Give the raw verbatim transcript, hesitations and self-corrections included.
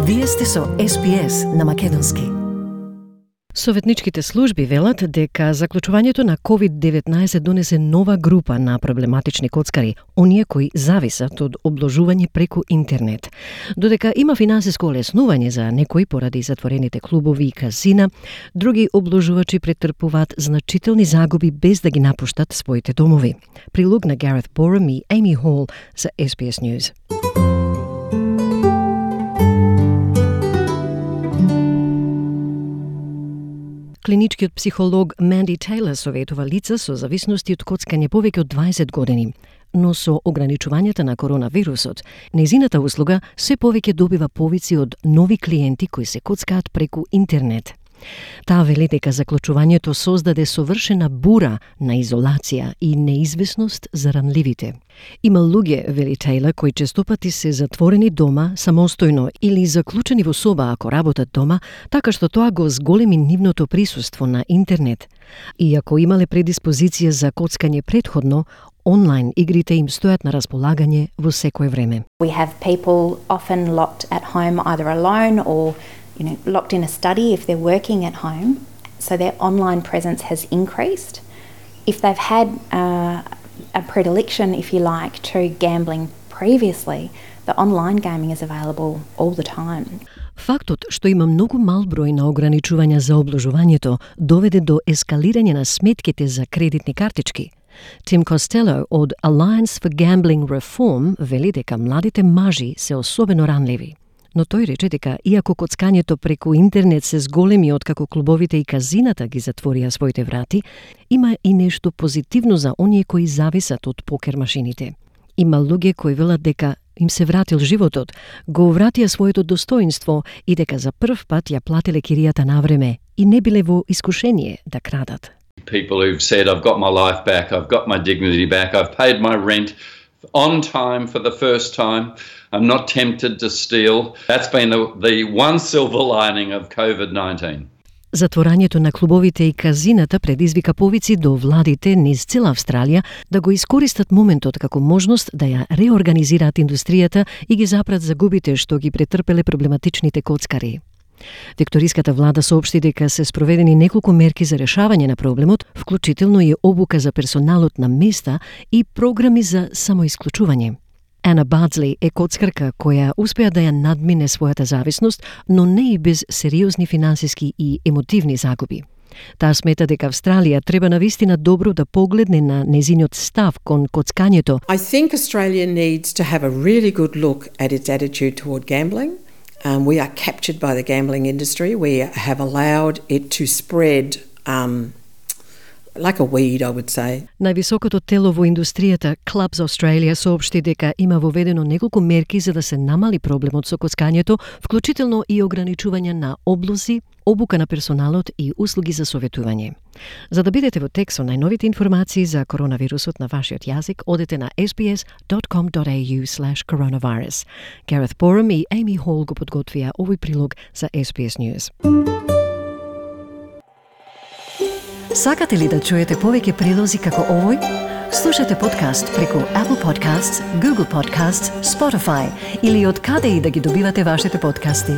Вие сте со Ес Би Ес на македонски. Советничките служби велат дека заклучувањето на ковид деветнаесет донесе нова група на проблематични коцкари, оние кои зависат од обложување преку интернет. Додека има финансиско олеснување за некои поради затворените клубови и казина, други обложувачи претрпуваат значителни загуби без да ги напуштат своите домови. Прилог на Гарет Борам и Amy Hall за Ес Би Ес News. Клиничкиот психолог Манди Тейлор советува лица со зависности од коцкање повеќе од дваесет години. Но со ограничувањата на коронавирусот, нејзината услуга се повеќе добива повици од нови клиенти кои се коцкаат преку интернет. Таа вели дека заклучувањето создаде совршена бура на изолација и неизвестност за ранливите. Има луѓе, вели Тейлор, кои честопати се затворени дома самостојно или заклучени во соба ако работат дома, така што тоа го зголеми нивното присуство на интернет. И ако имале предиспозиција за коцкање предходно, онлайн игрите им стојат на располагање во секое време. We have people often locked at home either alone or you know, locked in a study if they're working at home, so their online presence has increased. If they've had uh, a predilection, if you like, to gambling previously, the online gaming is available all the time. Фактот што има многу мал број на ограничувања за обложувањето доведе до ескалирање на сметките за кредитни картички. Тим Костело од Alliance for Gambling Reform вели дека младите мажи се особено ранливи. Но тој рече дека иако коцкањето преку интернет се зголеми откако клубовите и казината ги затворија своите врати, има и нешто позитивно за оние кои зависат од покер машините. Има луѓе кои велат дека им се вратил животот, го вратија своето достоинство и дека за прв пат ја платиле киријата на време и не биле во искушение да крадат. People who've said, I've got my life back, I've got my dignity back, I've paid my rent on time for the first time, I'm not tempted to steal. That's been the, the one silver lining of COVID nineteen. Затворањето на клубовите и казината предизвика повици до владите низ цела Австралија да го искористат моментот како можност да ја реорганизираат индустријата и ги запрат загубите што ги претрпеле проблематичните коцкари. Викториската влада соопшти дека се спроведени неколку мерки за решавање на проблемот, вклучително и обука за персоналот на места и програми за самоисклучување. Ана Бадсли е коцкарка која успеа да ја надмине својата зависност, но не и без сериозни финансиски и емотивни загуби. Таа смета дека Австралија треба навистина добро да погледне на незиниот став кон коцкањето. I think Australia needs to have a really good look at its attitude toward gambling. Um, we are captured by the gambling industry. We have allowed it to spread um, like a weed, I would say. Највисокото тело во индустријата, Clubs Australia, соопшти дека има воведено неколку мерки за да се намали проблемот со коцкањето, вклучително и ограничување на облози, обука на персоналот и услуги за советување. За да бидете во тек со најновите информации за коронавирусот на вашиот јазик, одете на ес би ес dot com dot a u slash coronavirus. Gareth Borham и Amy Hall го подготвија овој прилог за Ес Би Ес News. Сакате ли да чуете повеќе прилози како овој? Слушате подкаст преку Apple Podcasts, Google Podcasts, Spotify или од каде и да ги добивате вашите подкасти.